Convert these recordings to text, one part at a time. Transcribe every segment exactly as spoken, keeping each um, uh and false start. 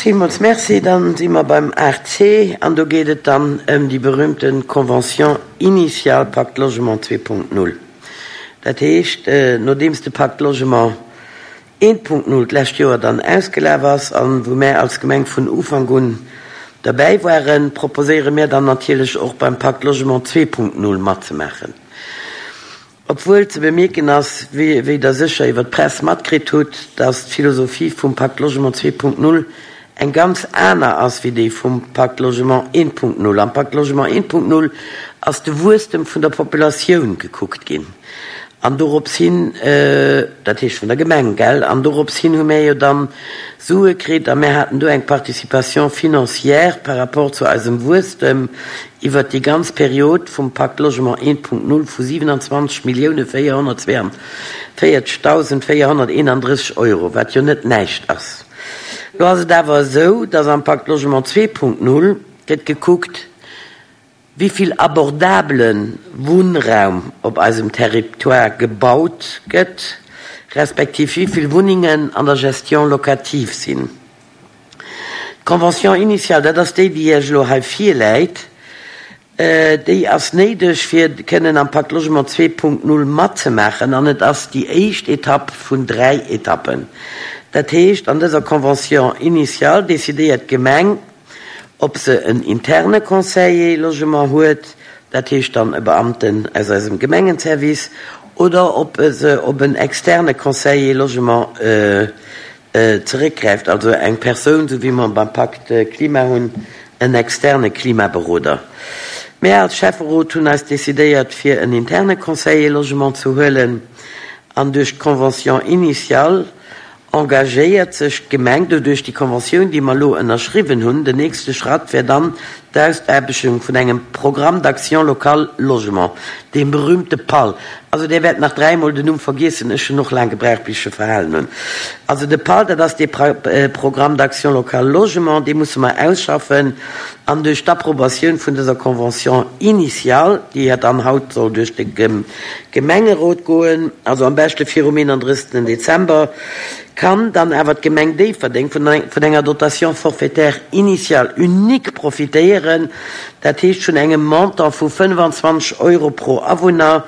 Villmools Merci. Dann si mer beim aacht C an do geet et dann ëm déi berühmte Convention initiale Pacte Logement zwee Punkt null. Dat heescht, nodeems de Pacte Logement eent Punkt null d'lescht Joer dann ausgelaf ass an wou mär als Gemeng vun Ufank un derbäi waren, proposéiere mär dann natierlech och beim Pacte Logement zwee Punkt null matzemaachen. Obwuel ze bemierken ass, wéi Der sécher iwwer d'Press matkritt hutt, dass d'Philosophie vum Pacte Logement zwee Punkt null eng ganz aner ass wéi déi vum Pacte Logement eent Punkt null. Am Pacte Logement eent Punkt null ass de Wuesstem vun der Populatioun gekuckt ginn an dorops hin, dat heescht vun der Gemeng, gell, an dorops hin hu mär jo dann Sue kritt a mär haten do eng Participation financière par rapport zu eisem Wuesstem iwwert déi ganz Period vum Pacte Logement eent Punkt null vu siewenundzwanzeg Millioune véierhonnertzweiundvéierzegdausend véierhonnerteenandrësseg Euro, wat jo net näischt ass. Lo ass et awer esou, dass am Pacte Logement zwee Punkt null gëtt gekuckt, wéi vill abordabele Wunnraum op eisem Territoire gebaut gëtt, respektiv wéi vill Wunnengen an der Gestion locative sinn. D'Convention initiale, dat ass déi, déi Iech elo hei virläit, déi ass néideg, fir kënnen am Pacte Logement zwee Punkt null matzemaachen, an et ass déi éischt Etapp vun dräi Etappen. Dat heescht, an dëser Convention initiale decidéiert d'Gemeng, ob se en interne Conseiller Logement huet, dat heescht dann e Beamten aus eisem Gemengenservice, oder ob se op en externe Conseiller Logement zeréckgräift, also eng Persoun, esou wéi mer beim Pacte Klima hunn, en externe Klimaberoder. Mär als Schäfferot hunn eis decidéiert, fir en interne Conseiller Logement ze huelen, an duerch d'Convention initiale engagéiert sech d'Gemeng doduerch déi Conventioun, déi mer elo ënnerschriwwen hunn. Den nächste Schratt wär dann d'Ausaarbechtung vun engem Programme d'action locale logement, deem berühmte PAL. Also Dir wäert nach dräimol den Numm vergiessen, ech hunn och laang gebraucht, bis ech e verhalen hunn. Also de PAL, dat ass dee Programme d'action locale logement, dee musse mer ausschaffen an duerch d'Approbatioun vun dëser Convention initiale, déi ja dann haut soll duerch de Gemengerot goen, also am beschte virum eenandrëssegsten Dezember, kann dann awer d'Gemeng Déifferdeng vun enger Dotation forfaitaire initiale unique profitéieren, dat heescht vun engem Montant vu fënnefanzwanzeg Euro pro Awunner.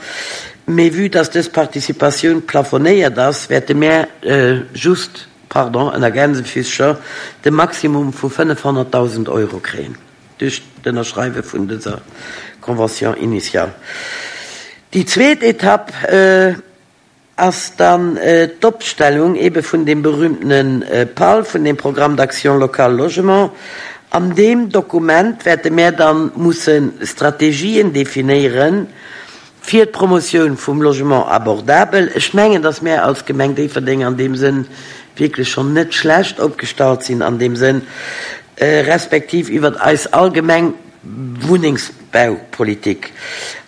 Mee vue dass dës Participatioun plafonéiert ass, wäerte mär just, pardon, ënner Gänsefüßcher, de Maximum vu fënnefhonnertdausend Euro kréien duerch d'Ënnerschreiwe vun dëser Convention initiale. Déi zweet Etapp ass dann d'Opstellung ebe vun deem berühmtene PAL, vun deem Programme d'action locale logement. An deem Dokument wäerte mär dann musse Strategien definéieren fir d'Promotioun vum Logement abordabel. Ech mengen, dass mär als Gemeng Déifferdeng an deem Sënn wierklech schonn net schlecht opgestallt sinn an deem Sënn, respektiv iwwert eis allgemeng Wunnengsbaupolitik.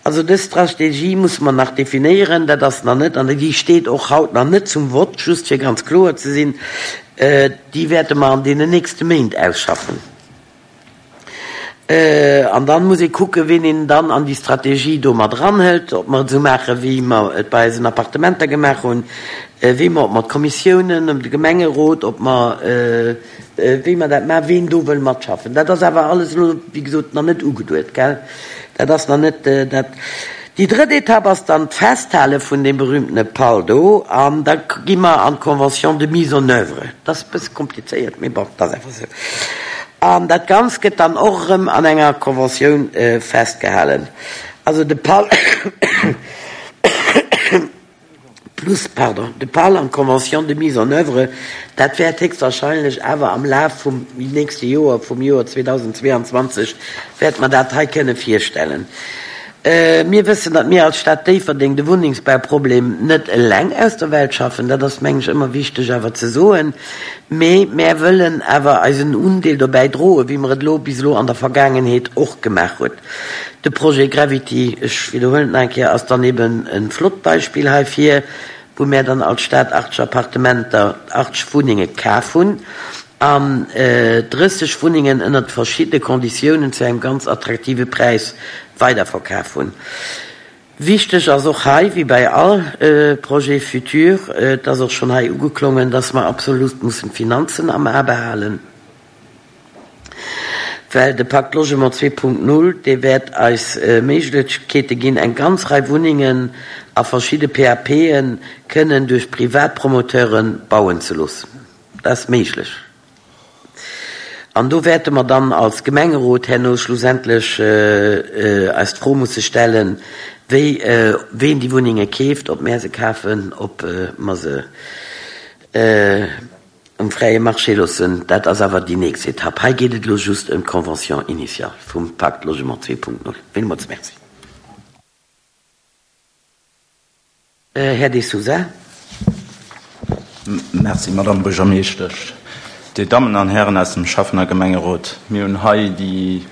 Also dës Strategie musse mer nach definéieren, dat ass nach net, an déi steet och haut nach net zum Vott, just fir ganz kloer ze sinn, déi wäerte mer an deenen nächste Méint ausschaffen. An dann muss ee kucken, wien een dann an déi Strategie do mat eranhëlt, ob mer et esou maachen, wéi mer et bei eisen Appartementer gemaach hunn, wéi mer, ob mer d'Kommissiounen, de Gemengerot, ob mer, wéi mer dat maachen, wien do wëll matschaffen. Dat ass awer alles elo, wéi gesot, nach net ugeduet, gell? Dat ass nach net dat. Déi drëtt Etapp ass dann d'Festhale vun deem berühmtene PAL do, an da gi mer an d'Convention de mise en œuvre. Dat ass e bësse komplizéiert, mee bon, dat ass einfach esou. An dat Ganzt gëtt dann och erëm an enger Conventioun festgehalen. Also de PAL plus, pardon, de PAL an d'Convention de mise en œuvre, dat wäert héchstwahrscheinlech awer am Laf vum nächste Joer, vum Joer zweedausendzweeanzwanzeg, wäerte mer dat hei kënne virstellen. Mir wëssen, datt mir als Stad Déifferdeng de Wunnengsbauproblem net eleng aus der Welt schaffen. Dat ass, mengen ech, ëmmer wichteg awer ze soen. Mee mär wëllen awer eisen Undeel dobäi droen, wéi mer et elo bis elo an der Vergaangenheet och gemaach huet. De Projet Gravity, ech widderhuelen et nach eng Kéier, ass dann eben e flott Beispill heifir, wou mär dann als Stad achtzeg Appartementer, achtzeg Wunnenge kaf hunn an drësseg Wunnengen ënnert verschiddene Konditiounen zu engem ganz attraktive Präis weiderverkaf hunn. Wichteg ass och hei, wéi bei all Projet futur, et ass och schonn hei ugeklongen, dass mer absolut mussen d'Finanzen am A behalen. Well de Pakt Logement zwee Punkt null, dee wäert eis Méiglechkeete ginn, eng ganz Rei Wunnengen a verschidde P A P'en kënnen duerch Privatpromoteure bauen ze loossen. Dat ass méiglech. An do wäerte mer dann als Gemengerot herno schlussendlech eis d'Fro musse stellen, wéi, ween déi Wunnenge keeft, ob mär se kafen, ob mer se um fräie Marché loossen. Dat ass awer déi nächst Etapp. Hei geet et elo just ëm d'Convention initiale vum Pakt Logement zwee Punkt null. Villmools Merci. Här De Sousa. Merci, Madame Buergermeeschtesch. Dir Dammen an Hären aus dem Schäffen- a Gemengerot, mir hunn hei déi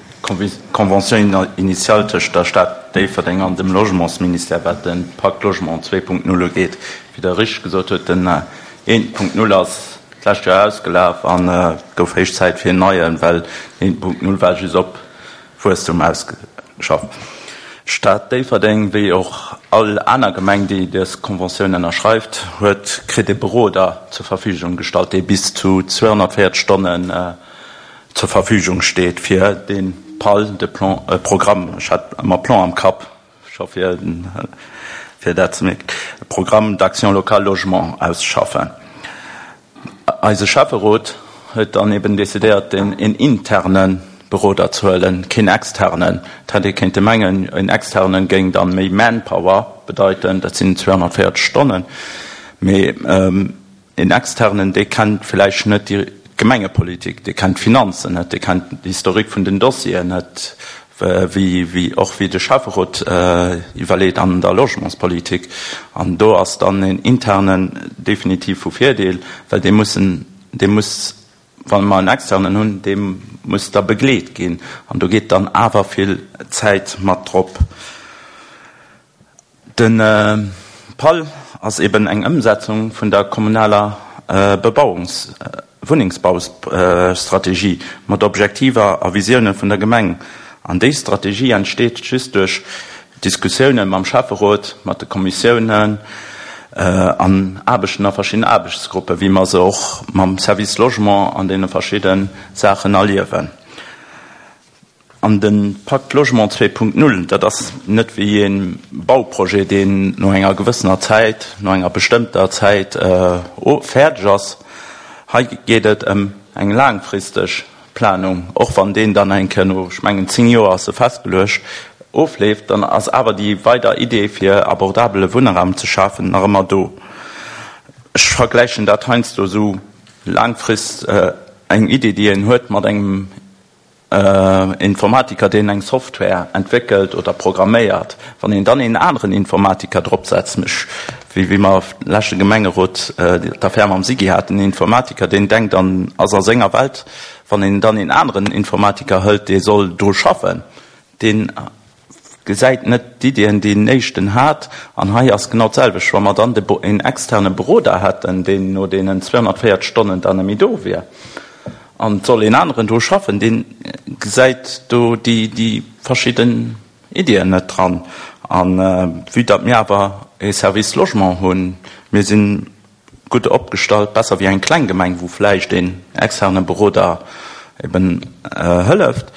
Convention initiale tëscht der Stad Déifferdeng an dem Logementsministère, wat de Pakt Logement zwee Punkt null ugeet. Wéi Der richteg gesot hutt, den eent Punkt null ass d'lescht Joer ausgelaf an et gouf héich Zäit fir en neien, well den eent Punkt null war just op Wuesstum ausgeschafft. D'Stad Déifferdeng, wéi och all aner Gemeng, déi dës Conventioun ënnerschreift, huet, kritt e Beroder zur Verfügung gestallt, dee bis zu zweihunnertvéierzeg Stonnen zur Verfügung steet fir de P A L, de Plan, Programm, ech hat ëmmer Plan am Kapp, scho fir, fir dat ze mierken, Programme d'action locale logement auszeschaffen. Eise Schäfferot huet dann eben decidéiert, den en internen Beroder ze huelen, keen externen. Et hätt ee kéinte mengen, en externen géing dann méi Manpower bedeiten, dat sinn zweihunnertvéierzeg Stonnen, mee en externen, dee kennt vläicht net déi Gemengepolitik, dee kennt d'Finanzen net, dee kennt d'Historik vun den Dossieren net, wéi, wéi och wéi de Schäfferot iwwerleet an der Logementspolitik. An do ass dann en internen definitiv vu Virdeel, well dee mussen, dee muss, wann mer en externen hunn, dee muss da begleet ginn. An do geet dann awer vill Zäit mat drop. Den P A L ass eben eng Ëmsetzung vun der kommunaler Bebauungs-, Wunnengsbaustrategie mat Objektiver a Visioune vun der Gemeng. An déi Strategie entsteet just duerch Diskussiounen mam Schäfferot, mat de Kommissiounen an Aarbechten a verschiddenen Aarbechtsgruppen, wéi mer se och mam Service Logement an deene verschiddenen Saachen erliewen. An den Pakt Logement zwee Punkt null, dat ass net wéi een Bauprojet, deen no enger gewëssener Zäit, no enger bestëmmter Zäit fäerdeg ass. Hei geet et ëm eng laangfristeg Planung, och wann deen dann eng Kéier no, ech mengen, zéng Joer ass se festgeluecht, ofleeft, dann ass awer déi weider Idee fir abordabele Wunnraum ze schafen nach ëmmer do. Ech vergläichen dat heiansdo esou laangfrist eng Idee, déi een huet mat engem Informatiker, deen eng Software entwéckelt oder programméiert. Wann een dann een aneren Informatiker drop setzt, mech, wéi, wéi mer leschte Gemengerot d'Affär mam Sigi haten, en Informatiker, deen denkt an ass a senger Welt, wann een dann een aneren Informatiker hëlt, dee soll dru schaffen, deen gesäit net d'Ideen, déi den éischten hat. An hei ass genau d'selwecht. Wa mer dann de Bo-, een externe Beroder hätten, deen no deenen zweihunnertvéierzeg Stonnen dann net méi do wier, an et soll een aneren do schaffen, deen gesäit do déi, déi verschidden Ideen net dran. An vue datt mir awer e Service Logement hunn, mir sinn gutt opgestallt, besser wéi eng kleng Gemeng, wou vläicht een externe Beroder eben hëlleft,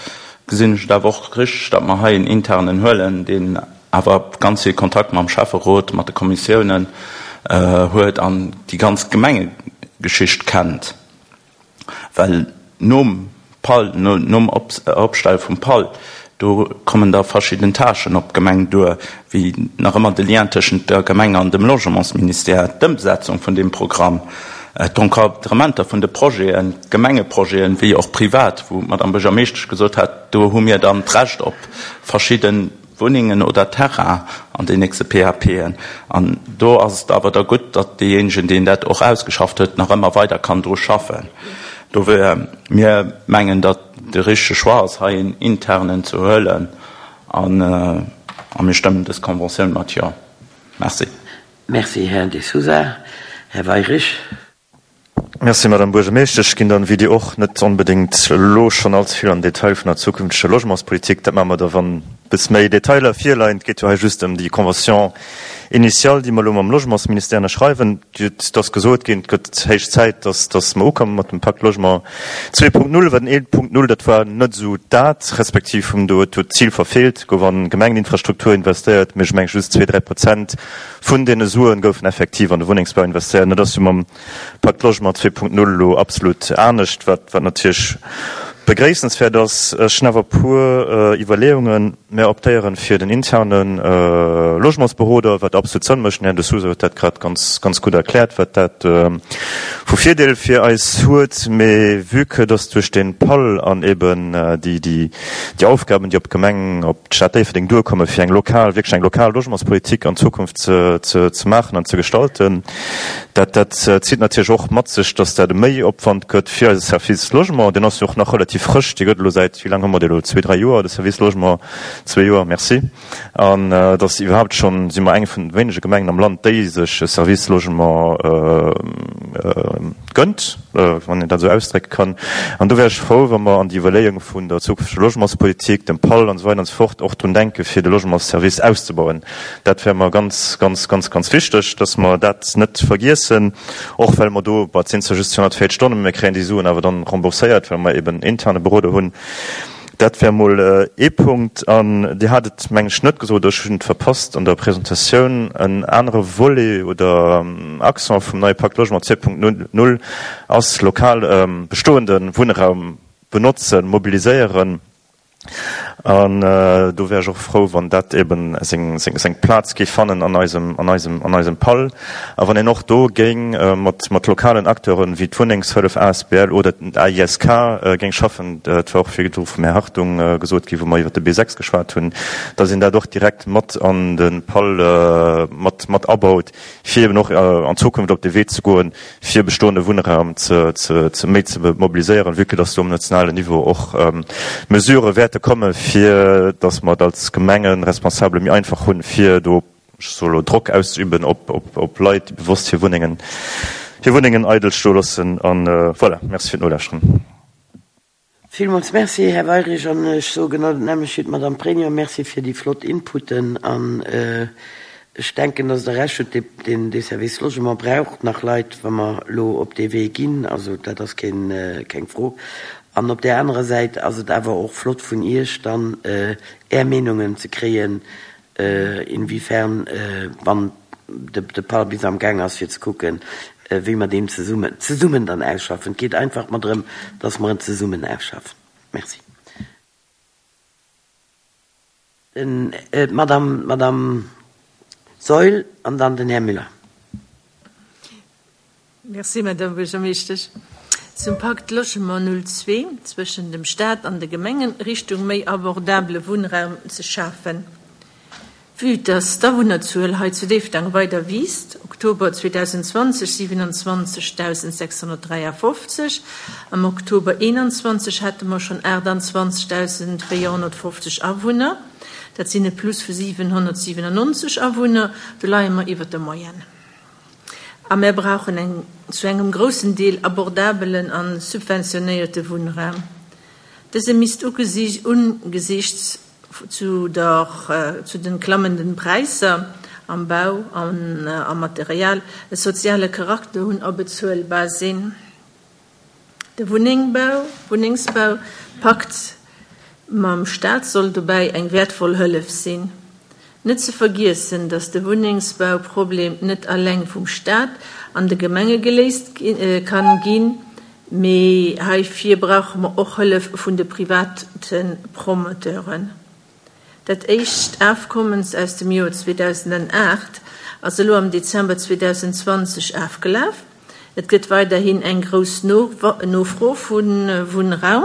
gesinn ech et awer och richteg, datt mer hei en internen huelen, deen awer ganz vill Kontakt mam Schäfferot, mat de Kommissiounen huet an déi ganz Gemengegeschicht kennt. Well nom P A L, no, nom Opstelle vum P A L, do kommen da verschidden Tâchen op d'Gemeng duer, wéi nach ëmmer de Lien tëschent der Gemeng an dem Logementsministère, d'Ëmsetzung vun dem Programm, d'Encadrementer vun de Projeten, d'Gemengeprojeten, wéi och privat, wou d'Madame Buergermeeschtesch gesot hat, do hu mir dann d'Recht op verschidden Wunnengen oder Terrain an den nächste P A P'en. An do ass et awer da gutt, datt deejéinegen, deen dat och ausgeschafft huet, nach ëmmer weider kann dru schaffen. Do wär mir mengen, datt de richtege Choix ass, hei en internen ze huelen an, a mir stëmmen dës Conventioun mat jo. Merci. Merci, Här De Sousa. Här Weyrich. Merci, Madame Buergermeeschtesch. Ech ginn dann, wéi Dir och, net onbedéngt elo schonn allze vill an Detail vun der zukünfteger Logementspolitik. Dat maache mer da, wann bis méi Detailer virleien. Et geet jo hei just ëm déi Convention initiale, déi mer elo mam Logementsministère ënnerschreiwen. Et ass gesot ginn, et gëtt héich Zäit, dass, dass mer ukomme mat dem Pacte Logement zwee Punkt null, well den ee Punkt null, dat war net esou dat, respektiv hunn do, huet d'Zil verfeelt, gouf an Gemengeninfrastruktur investéiert, mee ech mengen just zwee, dräi Prozent vun deene Suen goufen effektiv an de Wunnengsbau investéiert. An dat ass jo mam Pacte Logement zwee Punkt null elo absolut anescht, wat, wat natierlech begréissenswäert ass. Ech hunn awer e puer Iwwerleeungen. Mär optéieren fir den interne Logementsberoder, wat absolut Sënn mécht. Den Här De Sousa huet dat grad ganz, ganz gutt erkläert, wat dat vu Virdeel fir eis huet. Mee vue que dass duerch de PAL an eben déi, déi, déi Aufgaben, déi op d'Gemeng, op d'Stad Déifferdeng duerkommen, fir eng lokal, wierklech eng lokal Logementspolitik an Zukunft ze, ze, ze maachen an ze gestalten, dat, dat zitt natierlech och mat sech, dass dat e Méiopwand gëtt fir eise Service Logement. Deen ass jo och nach relativ frësch, dee gëtt elo säit, wéi laang hu mer dee elo, zwee, dräi Joer, de Service Logement, zwee Joer, merci. An et ass iwwerhaupt schonn, si mer eng vun de wéinege Gemengen am Land, déi sech e Service Logement gënnt, wann een dat esou ausdrécke kann. An do wär ech frou, wa mer an déi Iwwerleeung vun der zukünfteger Logementspolitik, dem PAL an esou weider an esou fort, och drun denken, fir de Logementsservice auszebauen. Dat wär mer ganz, ganz, ganz, ganz wichteg, dass mer dat net vergiessen, och well mer do, bon, et sinn zwar just zweehonnertvéierzeg Stonnen, mä mir kréien déi Suen awer dann rembourséiert, well mer eben interne Beroder hunn. Dat wär emol ee Punkt. An Dir hat et, meng ech, net gesot, ech hunn et verpasst an der Presentatioun, en anere Volet oder Accent vum neie Pacte Logement zwee Punkt null ass lokal bestoende Wunnraum benotzen, mobiliséieren. An do wär ech och frou, wann dat eben seng, seng, seng Plaz géif fannen an eisem, an eisem, an eisem PAL. A wann een och do géing mat, mat lokalen Acteuren wéi d'Wunnengshëllef asbl oder den A I S K géing schaffen, dat war och virdru vum Här Hartung gesot ginn, wou mer iwwert de B sechs geschwat hunn, dass een dat och direkt mat an de PAL mat, mat abaut, fir eben och an Zukunft op de Wee ze goen, fir bestoende Wunnraum ze, ze, ze méi ze mobiliséieren, vue que dass do um nationalen Niveau och Mesurë wäerte komme fir dass mer et als Gemengeresponsabele méi einfach hunn, fir do, ech soe lo, Drock auszeüben op, op, op Leit, déi bewosst hir Wunnengen, hir Wunnengen eidel stoe loossen. An voilà, merci fir d'Nolauschteren. Villmools Merci, Här Weirich. An ech soe genau dat nämmlecht wéi d'Madame Pregno, Merci fir déi flott Inputen. An ech denken, dass Der Recht hutt, deen, dee Service Logement braucht nach Leit, wa mer elo op dee Wee ginn. Also dat ass keen, keng Fro. An op där anerer Säit ass et awer och flott vun Iech dann Är Meenungen ze kréien, inwiefern, wann de, de PAL bis am Gaang ass, fir ze kucken, wéi mer deen zesummen, zesummen dann ausschaffen. Et geet einfach mer drëm, dass mer en zesummen ausschaffen. Merci. Den, d'Madame, d'Madame Saeul an dann den Här Müller. Merci, Madame Buergermeeschtesch. Zum Pakt Logement null zwee zwëschen dem Staat an de Gemengen Richtung méi abordabele Wunnraum ze schafen. Vue dass d'Awunnerzuel hei zu Déifferdeng weider wiisst, Oktober zweedausendzwanzeg siwenanzwanzegtausendsechshonnertdräiafofzeg, am Oktober eenanzwanzeg hate mer schonn aachtanzwanzegtausenvéierhonnertfofzeg Awunner, dat sinn e Plus vu siwenhonnertsiwenannonzeg Awunner, do leie mer iwwer der Moyenne. A mär brauchen eng zu engem groussen Deel abordabelen a subventionéierte Wunnraum. Dëse misst ugesiichts zu der, zu den klammenden Präisser am Bau an am Material e soziale Charakter hunn a bezuelbar sinn. De Wunnéngbau, Wunnengsbau Pakt mam Staat soll dobäi eng wäertvoll Hëllef sinn. Net ze vergiessen, datt de Wunnengsbauproblem net alleng vum Staat an de Gemenge geléist kann ginn, mee heifir brauche mer och Hëllef vun de private Promoteuren. Dat éischt Afkommens aus dem Joer zweedausendenaacht ass elo am Dezember zweedausendzwanzeg afgelaf. Et gëtt weiderhin eng grouss Nofro vu Wunnraum.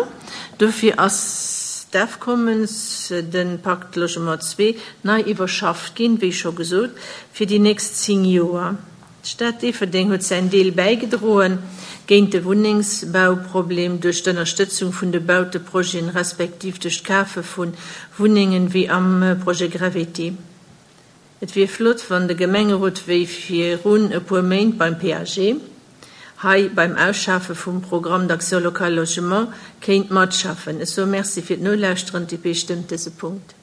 Dofir ass d'Afkommens, de Pacte Logement zwee, nei iwwerschafft ginn, wéi scho gesot, fir déi nächst zéng Joer. D'Stad Déifferdeng huet säin Deel bäigedroen géint de Wunnengsbauproblem duerch d'Ënnerstëtzung vun de Bauteprojeten respektiv duerch d'Kafe vu Wunnengen, wéi am Projet Gravity. Et wier flott, wann de Gemengerot wéi virun e puer Méint beim P A G hei beim Ausschafe vum Programme d'action locale logement kéint matschaffen. Ech soe Merci fir d'Nolauschteren. D D P stëmmt dëse Punkt.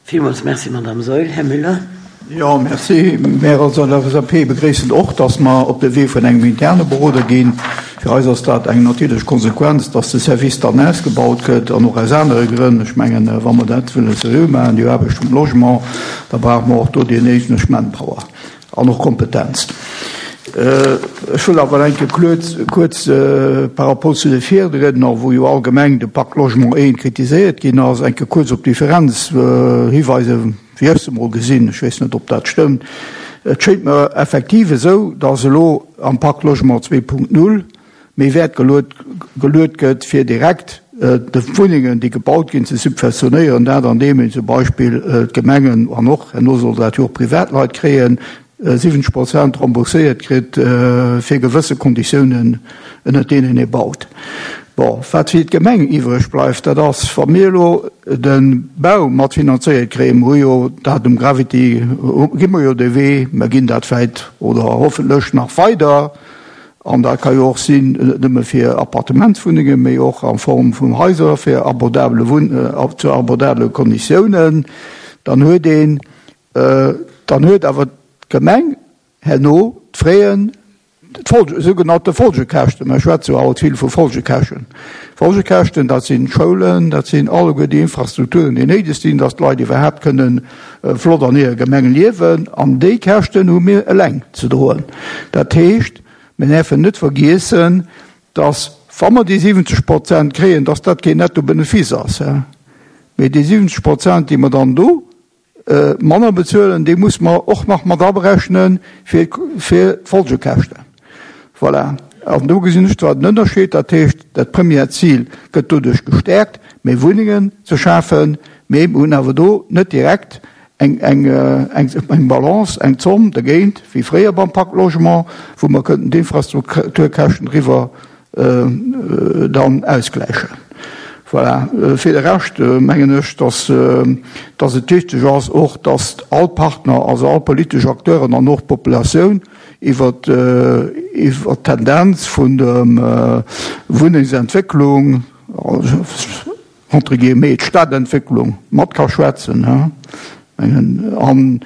Villmools Merci, Madame Saeul. Här Müller. Jo, merci. Mär als LSAP begréissen och, dass mer op de Wee vun engem interne Beroder ginn. Fir eis ass dat eng natierlech Konsequenz, dass de Service dann ausgebaut gëtt, an och aus anere Grënn. Ech mengen, wa mer dat wëlle seriö maachen, déi Aarbecht vum Logement, da brauche mer och do déi néideg Manpower an och Kompetenz. Ech wëll awer eng Kéier kuerz par rapport zu de Virriedner, wou jo allgemeng de Pacte Logement I kritiséiert ginn ass, eng Kéier kuerz op d'Differenz hiweisen, wéi ech se mol gesinn. Ech weess net, ob dat stëmmt. Et schéngt mer effektiv esou, dass elo am Pacte Logement zwee Punkt null méi Wäert geluet gëtt, fir direkt de Wunnengen, déi gebaut ginn, ze subventionéieren, dat andeem een zum Beispill d'Gemengen an och, herno soll dat jo och Privatleit kréien, siwwenzeg Prozent rembourséiert kritt fir gewësse Konditiounen, ënnert deenen ee baut. Bon, wat fir d'Gemeng iwwreg bleift, dat ass, wa mir elo de Bau matfinanzéiert kréien, mer hu jo dat um Gravity, gi mer jo de Wee, mer ginn dat vläit oder hoffentlech nach weider, an dat ka jo och sinn, net nëmme fir Appartementswunnengen, mee och a Form vun Haiser fir abordabele Wunn, zu abordabele Konditiounen, dann huet een, dann huet awer d'Gemeng herno d'Fraien, d'Folge, sougenannte Folgekäschten, mer schwätze jo haut vill vu Folgekäschen, Folgekäschten, dat sinn d'Schoulen, dat sinn alleguer déi Infrastrukturen, déi néideg sinn, dass d'Leit iwwerhaapt kënnen flott an hirer Gemeng liewen, an déi Käschten hu mir eleng ze droen. Dat heescht, mir däerfen net vergiessen, dass, wa mer déi siwwenzeg Prozent kréien, dass dat keen Nettobenefice ass, mee déi siwwenzeg Prozent, déi mer dann do manner bezuelen, déi muss mer och nach mat aberechne fir d'Folgekäschten. Voilà. An do gesinn ech zwar den Ënnerscheed, dat heescht, dat première Zil gëtt doduerch gestärkt, méi Wunnengen ze schafen, mee mir hunn awer do net direkt eng, eng, eng, eng Balance, eng Zomm dergéint, wéi fréier beim Pacte Logement, wou mer kënnten d'Infrastrukturkäschten driwwer dann ausgläichen. Voilà. Fir de Rescht mengen ech, dass, dass et wichteg ass och, dass all Partner, also all politesch Acteuren an och d'Populatioun iwwer, iwwer d'Tendenz vun der Wunnengsentwécklung, entre guillemets d'Stadentwécklung, mat ka schwätzen. Mengen, an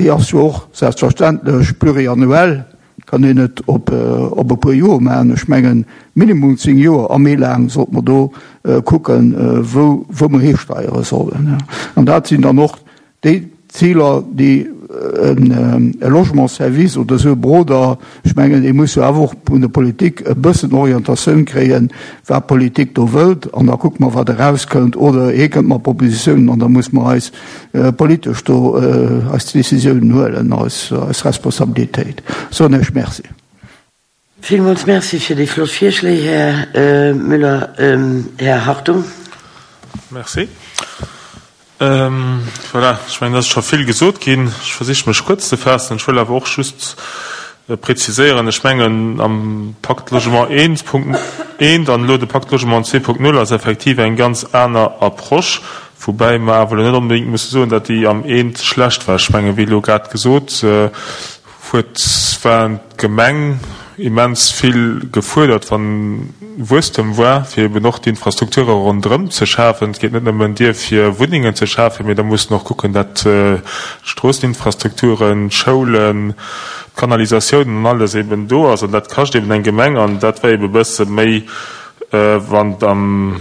déi ass jo och selbstverständlech pluriannuell, kann een net op op e puer Joer maachen. Ech mengen, minimum zéng Joer a méi laang sollte mer do kucken, wou wou mer histeiere sollen. An dat sinn dann och déi Ziler, déi e Logementsservice oder esou e Beroder, ech mengen, dee muss jo awer och vun der Politik e bëssen Orientatioun kréien, wat d'Politik do wëllt, an da kucke mer, wat erauskënnt, oder hie kënnt mat Propositiounen an da muss mer eis politesch do eis Décisiounen huelen, eis eis Responsabilitéit. Soen ech Merci. Villmools Merci fir déi flott Virschléi, Här Müller. Här Hartung. Merci. Voilà, ech mengen, et ass scho vill gesot ginn. Ech versiche mech kuerz ze faassen. Ech wëll awer och just preziséieren, ech mengen, am Pacte Logement eent Punkt eent an elo de Pacte Logement zwee Punkt null ass effektiv eng ganz aner Approche, woubäi mer awer elo net onbedéngt musse soen, datt déi am eent schlecht war. Ech mengen, wéi elo grad gesot huet, war d'Gemeng immens vill gefuerdert, wann Wuesstem war, fir eben och d'Infrastrukture ronderëm ze schafen. Et geet net nëmmen dier, fir Wunnengen ze schafen, mee da mussen och kucken, dat d'Stroosseninfrastrukturen, d'Schoulen, d'Kanalisatiounen an alles eben do ass. An dat kascht eben eng Gemeng. An dat war eben e bësse méi, wann am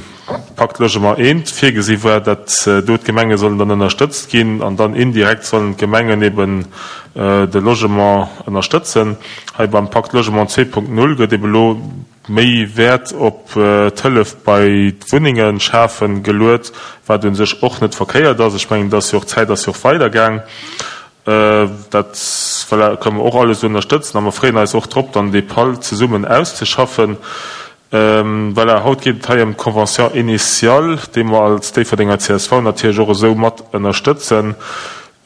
Pacte Logement eent virgesi war, dat do d'Gemenge sollen dann ënnerstëtzt ginn an dann indirekt sollen d'Gemengen eben de Logement ënnerstëtzen. Hei beim Pacte Logement zwee Punkt null gëtt eben elo méi Wäert op d'Hëllef bei d'Wunnenge schafen geluet, wat u sech och net verkéiert ass. Ech mengen, et ass jo och, d'Zäit ass jo och weidergaang. Dat, voilà, kënnen mer och alles ënnerstëtzen a mer freeën eis och drop, dann dee PAL zesummen auszeschaffen. Voilà, haut geet et hei ëm d'Convention initiale, déi mer als Déifferdenger csv natierlech och esou mat ënnerstëtzen.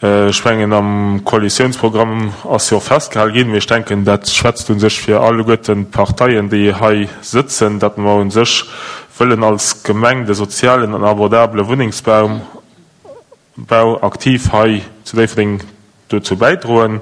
Ech mengen, am Koalitiounsprogramm ass jo och festgehal ginn, mee ech denken, dat schwätzt u sech fir alleguerten d'Parteien, déi hei sëtzen, datt mer u sech wëllen als Gemeng de sozialen an abordabele Wunnengsbau aktiv hei zu Déifferdeng dozou bäidroen.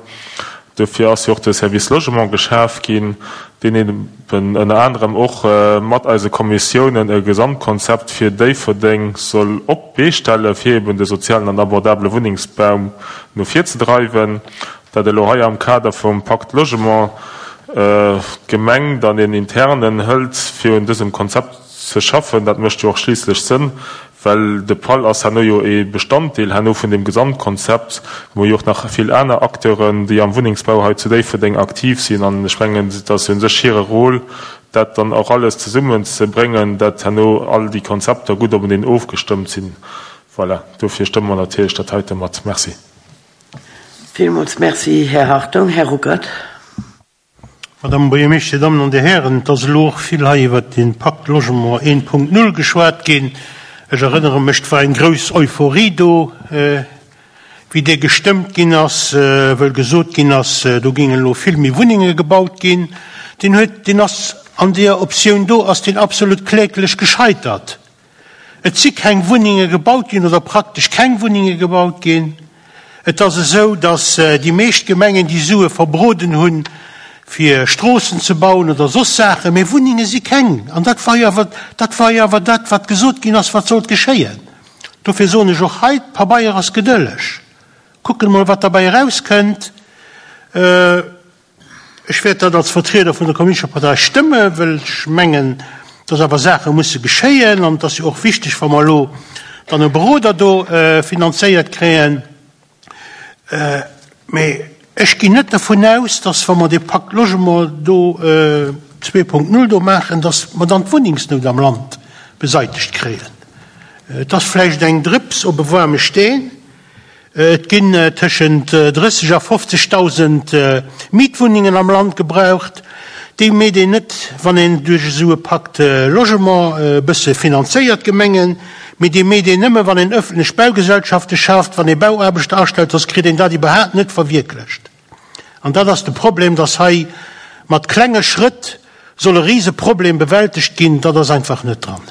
Dofir ass jo och de Service Logement geschaf ginn, deen eben ënner anerem och mat eise Kommissiounen e Gesamtkonzept fir Déifferdeng soll op d'Bee stellen, fir eben de sozialen an abordabele Wunnengsbau no vir ze dreiwen. Dat elo hei am Kader vum Pacte Logement d'Gemeng dann een internen hëlt, fir un dësem Konzept ze schaffen, dat mécht jo och schliisslech Sënn, well de PAL ass herno jo ee Bestanddeel herno vun deem Gesamtkonzept. Mir hu jo och nach vill aner Acteuren, déi am Wunnengsbau hei zu Déifferdeng aktiv sinn, an ech mengen, et ass u sech hire Rôle, dat dann och alles zesummenzebréngen, dat herno all déi Konzepter gutt openeen ofgestëmmt sinn. Voilà, dofir stëmme mer natierlech dat heite mat. Merci. Villmools Merci, Här Hartung. Här Ruckert. Madame Buergermeeschter, Dir Dammen an Dir Hären, et ass elo och vill hei iwwert de Pacte Logement een Punkt null geschwat ginn. Ech erënnere mech, et war eng grouss Euphorie do, wéi dee gestëmmt ginn ass, wëll gesot ginn ass, do géingen elo vill méi Wunnenge gebaut ginn. Deen huet, deen ass an deeër Optioun do ass deen absolut kläglech gescheitert. Et si keng Wunnenge gebaut ginn oder praktesch keng Wunnenge gebaut ginn. Et ass esou, datt déi meescht Gemengen déi Sue verbroden hunn, fir Stroossen ze bauen oder soss Saachen, mee Wunnenge si keng. An dat war jo awer, dat war jo awer dat, wat gesot ginn ass, wat sollt geschéien. Dofir soen ech och hei, Pabeier ass gedëlleg. Kucken emol, wat derbäi erauskënnt. Ech wäert dat als Vertrieder vun der Kommunistescher Partei stëmme, well ech mengen, dass awer Saache musse geschéien. An et ass jo och wichteg, wa mer elo dann e Beroder do finanzéiert kréien. Mee ech ginn net dervun aus, dass, wa mer dee Pacte Logement do zwee Punkt null do maachen, dass mer dann d'Wunnengsnout am Land beseitegt kréien. Et ass vläicht eng Drëps op e waarme Steen. Et ginn tëschent drësseg a fofzegdausend Mietwunnengen am Land gebraucht. Déi meet een net, wann een duerch esou e Pacte Logement e bësse finanzéiert, d'Gemengen, mee déi meet een nëmme, wann een ëffentlech Baugesellschafte schaaft, wann ee Bauaarbechter astellt, soss kritt een dat iwwerhaapt net verwierklecht. An dat ass de Problem, dass hei mat klenge Schrëtt soll e Riseproblem bewältegt ginn. Dat ass einfach net dran.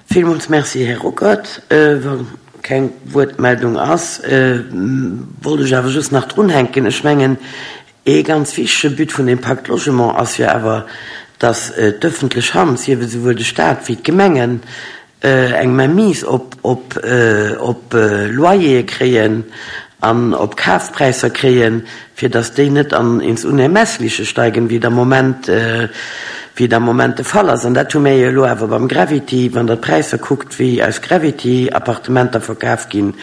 Villmools Merci, Här Ruckert. Wa keng Wuertmeldung ass, wollt ech awer just nach drunhänken, ech mengen, ee ganz wichtege But vun deem Pacte Logement ass jo awer, dass d'öffentlech Hand, sief et esouwuel de Stat wéi d'Gemengen, eng Mainmise op op Loyere kréien an op Kafpräisser kréien, fir dass déi net an ins Unermessliche steigen, wéi et am Moment, wéi et am Moment de Fall ass. An dat hu mir jo elo awer beim Gravity, wann Der d'Präisser kuckt, wéi eis Gravity-Appartementer verkaf ginn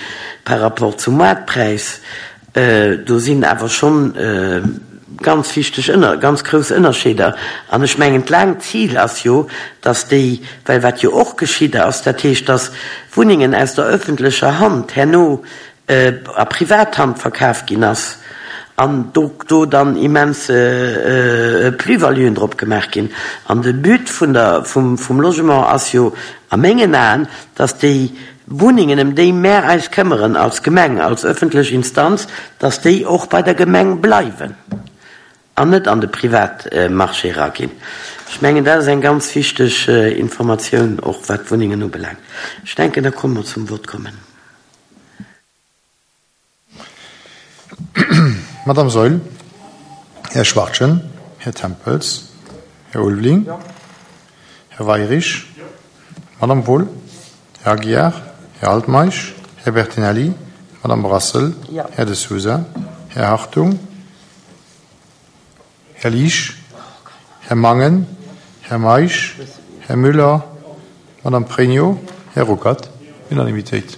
par rapport zum Moartpräis, do sinn awer schonn ganz wichteg Ënner, ganz grouss Ënnerscheeder. An ech mengen, d'laangt Zil ass jo, dass déi, well wat jo och geschitt ass, dat heescht, dass Wunnengen aus der öffentlecher Hand herno a Privathand verkaf ginn ass an do do dann immens Plus-valuen drop gemaach ginn. An de But vun der, vum, vum Logement ass jo a mengen Aen, dass déi Wunnengen, ëm déi mär eis këmmeren als Gemeng, als öffentlech Instanz, dass déi och bei der Gemeng bleiwen an net an de Privatmarché eraginn. Ech mengen, dat ass eng ganz wichteg Informatioun, och wat d'Wunnengen ubelaangt. Ech denken, da komme mer zum Vott kommen. Madame Saeul, Här Schwachtgen, Här Tempels, Här Ulveling, Här Weirich, Madame Wohl, Här Aguiar, Här Altmeisch, Här Bertinelli, Madame Brassel, Här De Sousa, Här Hartung, Här Liesch, Här Mangen, Här Meisch, Här Müller, Madame Pregno, Här Ruckert. Unanimitéit.